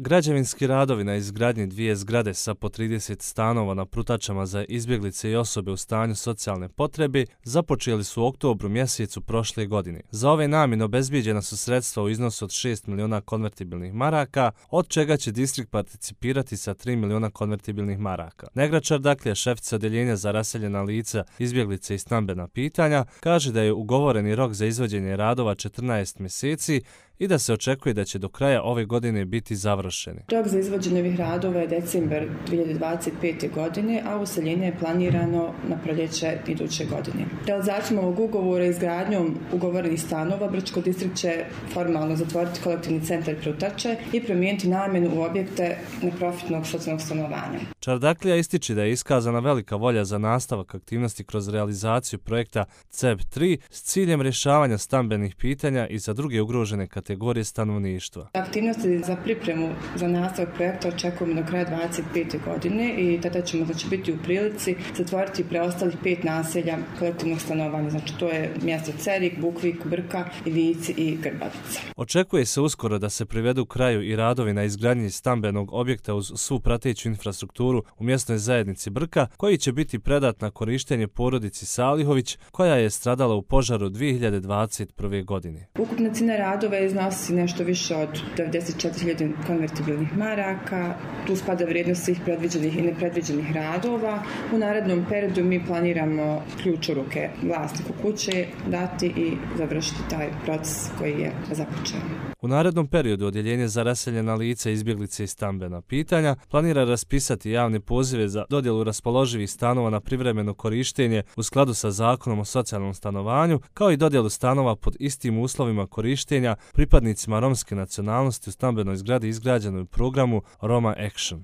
Građevinski radovi na izgradnji 2 zgrade sa po 30 stanova na Prutačama za izbjeglice i osobe u stanju socijalne potrebe započeli su u oktobru mjesecu prošle godine. Za ove namjene obezbijeđena su sredstva u iznosu od 6 miliona konvertibilnih maraka, od čega će distrikt participirati sa 3 miliona konvertibilnih maraka. Negra Čardaklija, šefica odjeljenja za raseljena lica, izbjeglice i stambena pitanja, kaže da je ugovoreni rok za izvođenje radova 14 mjeseci i da se očekuje da će do kraja ove godine biti završeni. Rok za izvođenje ovih radova je decembar 2025. godine, a useljenje je planirano na proljeće iduće godine. Realizacijom ovog ugovora i izgradnjom ugovorenih stanova Brčko distrikt će formalno zatvoriti kolektivni centar Prutače i promijeniti namjenu u objekte neprofitnog socijalnog stanovanja. Čardaklija ističe da je iskazana velika volja za nastavak aktivnosti kroz realizaciju projekta CEB3 s ciljem rješavanja stambenih pitanja i za druge ugrožene kategorije stanovništva. Aktivnosti za pripremu za nastavak projekta očekujemo do kraja 2025. godine i tada ćemo biti u prilici zatvoriti preostalih 5 naselja kolektivnog stanovanja. Znači to je mjesto Cerik, Bukvik, Brka, Ivici i Grbavica. Očekuje se uskoro da se privedu kraju i radovi na izgradnji stambenog objekta uz svu prateću infrastrukturu u mjesnoj zajednici Brka, koji će biti predat na korištenje porodici Salihović, koja je stradala u požaru 2021. godine. Ukupna cijena radova iznosi nešto više od 94.000 konvertibilnih maraka. Tu spada vrijednost svih predviđenih i nepredviđenih radova. U narednom periodu mi planiramo ključ u ruke vlasniku kuće dati i završiti taj proces koji je započeo. U narednom periodu odjeljenje za raseljena lica, izbjeglice i stambena pitanja planira raspisati javne pozive za dodjelu raspoloživih stanova na privremeno korištenje u skladu sa Zakonom o socijalnom stanovanju, kao i dodjelu stanova pod istim uslovima korištenja pripadnicima romske nacionalnosti u stambenoj zgradi izgrađenoj u programu Roma Action.